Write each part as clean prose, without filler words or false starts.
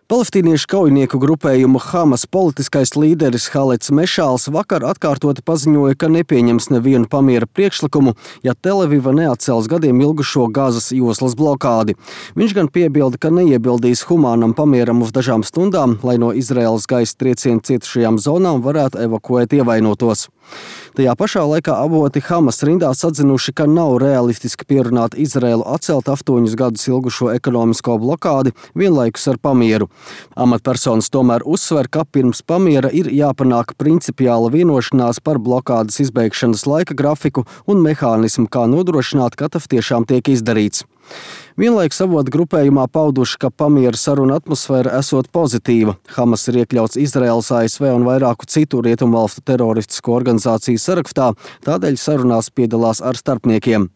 Palestīniešu kaujinieku grupējuma Hamas politiskais līderis Haleds Mešāls vakar atkārtoti paziņoja, ka nepieņems nevienu pamiera priekšlikumu, ja Tel-Aviva neatcels gadiem ilgušo Gazas joslas blokādi. Viņš gan piebilda, ka neiebildīs humānam pamieram uz dažām stundām, lai no Izraēlas gaisa triecienu cietušajām zonām varētu evakuēt ievainotos. Tajā pašā laikā avoti Hamas rindās atzinuši, ka nav realistiski pierunāt Izraēlu atcelt 8 gadus ilgušo ekonomisko blokādi vienlaikus ar pamieru. Amatpersonas tomēr uzsver, ka pirms pamiera ir jāpanāk principiāla vienošanās par blokādes izbeigšanas laika grafiku un mehānismu, kā nodrošināt, ka tas tiešām tiek izdarīts. Vienlaikus avotu grupējumā pauduši, ka pamiera saruna atmosfēra esot pozitīva. Hamas ir iekļauts Izraēlas, ASV un vairāku citu rietumvalstu teroristisko organizāciju sarakstā, tādēļ sarunās piedalās ar starpniekiem.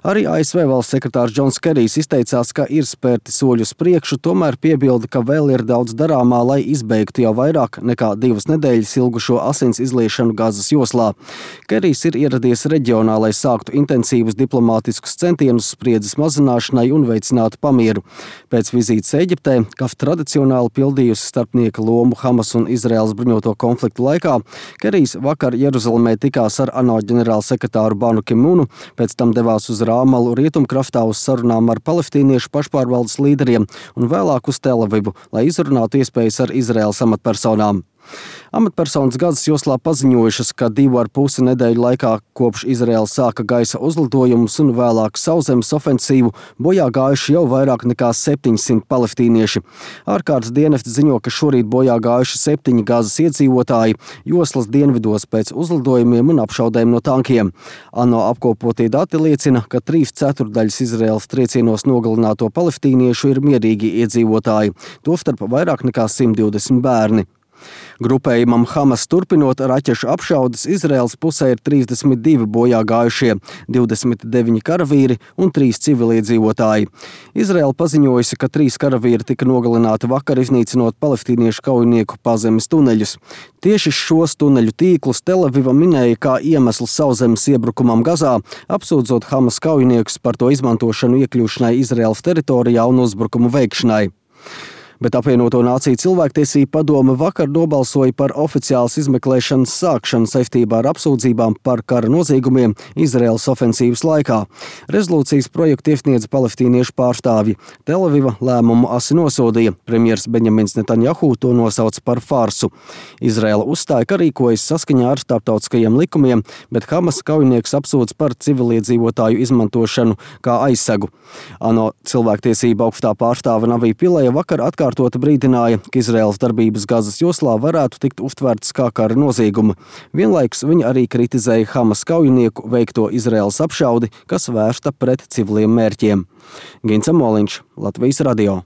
Arī ASV valsts sekretārs Džons Kerijs izteicās, ka ir spērti soļi uz priekšu, tomēr piebilda, ka vēl ir daudz darāmā, lai izbeigtu jau vairāk nekā 2 nedēļas ilgušo asins izliešanu Gazas joslā. Kerijs ir ieradies reģionā, lai sāktu intensīvus diplomātiskus centienus spriedzes mazināšanai un veicinātu pamieru. Pēc vizītes Eģiptē, kas tradicionāli pildījusi starpnieka lomu Hamas un Izraēlas bruņoto konfliktu laikā, Kerijs vakar Jeruzalemē tikās ar ANO ģenerālsekretāru Banu Ki-munu, pēc tam devās uz Rāmalu rietumkrastā uz sarunām ar palestīniešu pašpārvaldes līderiem un vēlāk uz Tel-Avivu, lai izrunātu iespējas ar Izraēlas amatpersonām. Amatpersonas Gazas joslā paziņojušas, ka 2,5 nedēļu laikā kopš Izraēla sāka gaisa uzlidojumus un vēlāk sauszemes ofensīvu bojā gājuši jau vairāk nekā 700 palestīnieši. Ārkārtas dienesti ziņo, ka šorīt bojā gājuši 7 Gazas iedzīvotāji joslas dienvidos pēc uzlidojumiem un apšaudēm no tankiem. ANO apkopotie dati liecina, ka 3/4 Izraēlas triecienos nogalināto palestīniešu ir mierīgi iedzīvotāji, tostarp vairāk nekā 120 bērni. Grupējumam Hamas turpinot raķešu apšaudes, Izraēlas pusē ir 32 bojā gājušie, 29 karavīri un 3 civiliedzīvotāji. Izraēla paziņojusi, ka 3 karavīri tika nogalināti vakar, iznīcinot palestīniešu kaujinieku pazemes tuneļus. Tieši šos tuneļu tīklus Tel-Aviva minēja kā iemeslu sauszemes iebrukumam Gazā, apsūdzot Hamas kaujiniekus par to izmantošanu iekļūšanai Izraēlas teritorijā un uzbrukumu veikšanai. Bet apvienoto nāciju cilvēktiesību padome vakar nobalsoja par oficiālas izmeklēšanas sākšanu saistībā ar apsūdzībām par kara noziegumiem Izraēlas ofensīvas laikā. Rezolūcijas projektu iesniedza palestīniešu pārstāvji. Tel-Aviva lēmumu asi nosodīja. Premjers Benjamins Netanjahu to nosauca par farsu. Izraēla uzstāja, ka rīkojas saskaņā ar starptautiskajiem likumiem, bet Hamas kaujinieks apsūdz par civiliedzīvotāju izmantošanu kā aizsegu. ANO cilvēktiesība augstā pārstāve Navī Pileja vakar atkārtoti brīdināja, ka Izraēlas darbības Gazas joslā varētu tikt uztvērtas kā kara nozieguma. Vienlaikus viņa arī kritizēja Hamas kaujinieku veikto Izraēlas apšaudi, kas vērsta pret civiliem mērķiem. Gins Amoliņš, Latvijas radio.